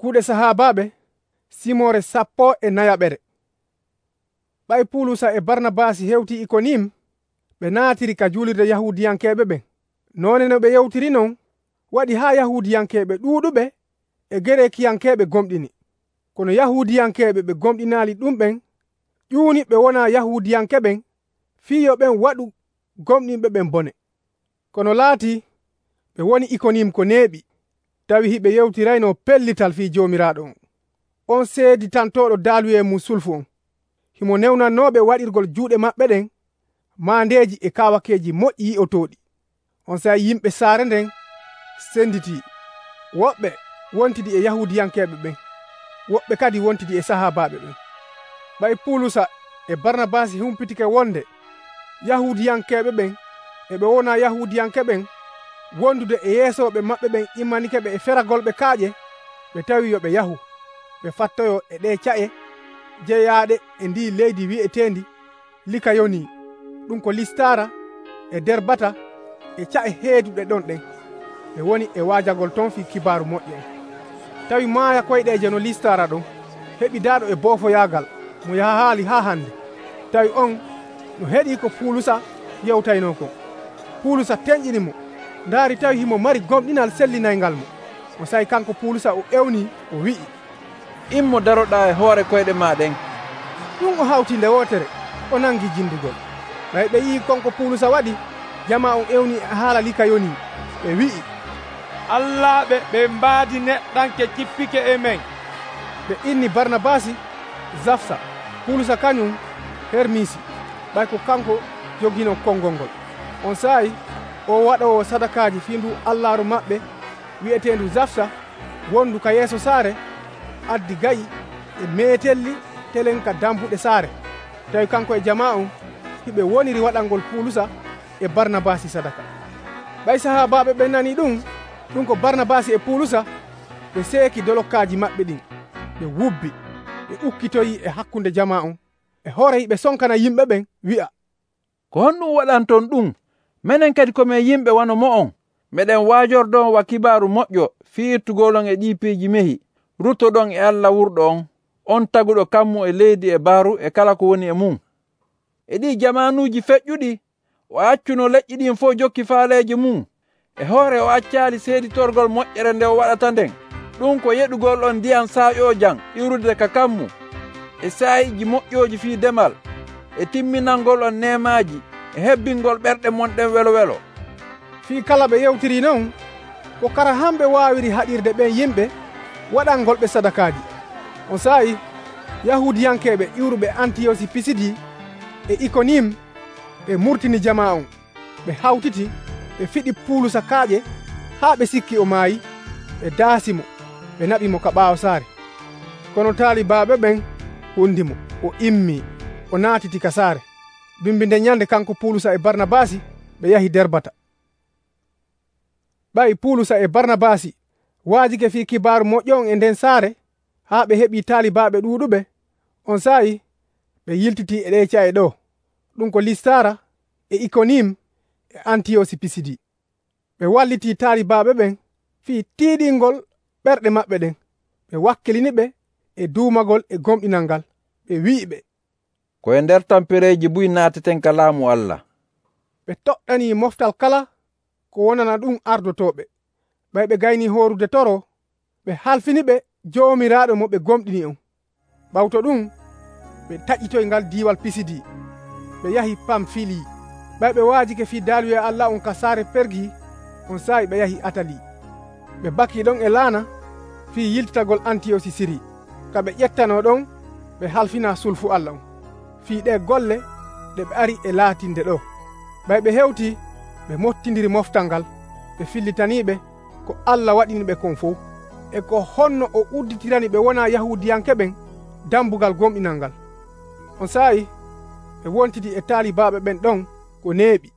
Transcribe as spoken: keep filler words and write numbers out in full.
Kuuɗe sahaabaaɓe simore sappo e nayaɓere. Ɓay Pulusa e Barnabasi hewti Ikonim, ɓe naatiri ka julirde Yahuudiyankeeɓe ɓen. Noone no ɓe yewtiri non waɗi haa Yahuudiyankeeɓe ɗuuɗuɓe e Gerekiyankeeɓe gomɗini. Kono Yahuudiyankeeɓe ɓe gomɗinaali ɗumɓen ƴuuni ɓe wonaa Yahuudiyankeɓen fii yo ɓen waɗu gomɗinɓe ɓen bone. Kono laatii ɓe woni Ikonim ko neeɓi, tawi hiɓe yewtirayno pellital fii Joomiraaɗo on. On seeditantooɗo daaluje mum sulfu on, himo newnannooɓe waɗirgol juuɗe maɓɓe ɗen maandeeji e kaawakeeji moƴƴi yi'otooɗi. On saayi yimɓe saare nden senditii, woɓɓe wontidi e Yahuudiyankeeɓe ɓen, woɓɓe kadi wontidi e sahaabaaɓe ɓen. Ɓay Pulusa e Barnabasi humpitike wonde Yahuudiyankeeɓe ɓen e ɓe wonaa Yahuudiyankeɓen wondude e yeesooɓe maɓɓe ɓen immanike ɓe e feragolɓe kaaƴe, ɓe tawi yo ɓe yahu ɓe fattoyo e ɗee ca'e jeyaaɗe e ndi leydi wi'eteendi Likayoni, ɗum ko Listara e Derbata e ca'e heeduɗe ɗon ɗen. Ɓe woni e waajagol ton fii kibaaru moƴƴo on. Tawi maaya koyɗeeje no Listara ɗon heɓidaaɗo e boofoyaagal mo yaha haali haa hande. Tawi on no heɗii ko Pulusa yewtaynoo kon. Pulusa teŋƴini mo, ndaari tawi himo mari gomɗinal sellinayngal mo. O sayi kanko Pulusa o ewnii o wi'i, immo daroɗaa e hoore koyɗe maa ɗen. Ɗum o hawti nde wootere o nangi jindugol. Ɓay ɓe yii konko Pulusa waɗi, jama on ewni e haala Likayoni. Ɓe wi'i, allaaɓe ɓe mbaadi neɗɗanke cippike e men. Ɓe inni Barnabasi Zafsa, Pulusa kañum Hermisi, ɓay ko kanko jogino konngol ngol. On saayi o waɗowo sadakaaji fii ndu allaaru maɓɓe wi'eteendu Zafsa wondu ka yeeso saare addi gayi e meetelli telen ka dambuɗe saare. Tawi kanko e jama on hiɓe woniri waɗangol Pulusa e Barnabasi sadaka. Ɓay sahaabaaɓe ɓen nani ɗum, ɗum ko Barnabasi e Pulusa, ɓe seeki dolokkaaji maɓɓe ɗin, ɓe wubbi, ɓe ukkitoyi e hakkunde jama on, e hoore hiɓe sonkana yimɓe ɓen wi'a, ko honɗum waɗanton ɗum? Minen kadi komin yimɓe wano mo'on. Meɗen waajordon wa kibaaru moƴƴo fiirtugolon e ɗii piiji mehi, ruttoɗon e Allah wurɗo on, on taguɗo kammu e leydi e baaru e kala ko woni e mum. E ɗii jamaanuuji feƴƴuɗi o accuno leƴƴi ɗin fof jokki faaleeje mum. E hoore o accaali seeditorgol moƴƴere nde o waɗata nden. Ɗum ko yeɗugol on ndiyam saaƴoojam iwrude ka kammu, e saayiiji moƴƴooji fii demal, e timminangol on neemaaji, e hebbingol ɓerɗe monɗen welo welo. Fii kala ɓe yewtiri non, ko kara hamɓe waawiri haɗirde ɓen yimɓe waɗangolɓe sadakaaji. On saayi Yahuudiyankeeɓe iwruɓe Antiyosi Pisidi e Ikonim ɓe murtini jama on, ɓe hawtiti, ɓe fiɗi Pulusa kaaƴe haa ɓe sikki o maayi, ɓe daasimo, ɓe naɓimo ka ɓaawo saare. Kono taalibaaɓe ɓen hundimo, o immii, o naatiti ka saare. Bimbinde nyande kanko Pulusa e Barnabasi ɓe yahi Derbata. Ɓay Pulusa e Barnabasi waajike fii kibaaru moƴƴo on e nden saare haa ɓe heɓii taalibaaɓe ɗuuɗuɓe. On saayi ɓe yiltitii e ɗee ca'e ɗo, ɗum ko Listara e Ikonim e Antiyosi Pisidi. Ɓe wallitii taalibaaɓe ɓen fii tiiɗingol ɓerɗe maɓɓe ɗen. Ɓe wakkilini ɓe e duumagol e gomɗinal ngal. Ɓe wi'i ɓe, koye nder tampereeji buy naateten ka laamu Allah. Ɓe toɗɗanii moftal kala ko wonana ɗum ardotooɓe. Ɓay ɓe gaynii hoorude toro, ɓe halfini ɓe Joomiraaɗo mo ɓe gomɗini on. Ɓawto ɗum ɓe taƴitoy ngal diiwal Pisidi, ɓe yahi Pamfili. Ɓay ɓe waajike fii daaluje Allah on ka saare Pergi. On saayi ɓe yahi Atali. Ɓe bakii ɗon e laana fii yiltitagol Antiyosi Siri. Ka ɓe ƴettanoo ɗon ɓe halfina sulfu Allah on fii ɗee golle ɗe ɓe ari e laatinde ɗo. Ɓay ɓe hewti ɓe mottindiri moftal ngal, ɓe fillitaniiɓe ko Allah waɗini ɓe kon fof, e ko honno o udditirani ɓe wonaa Yahuudiyankeɓen dambugal gomɗinal ngal. On saayi ɓe wontidi e taalibaaɓe ɓen ɗon ko neeɓi.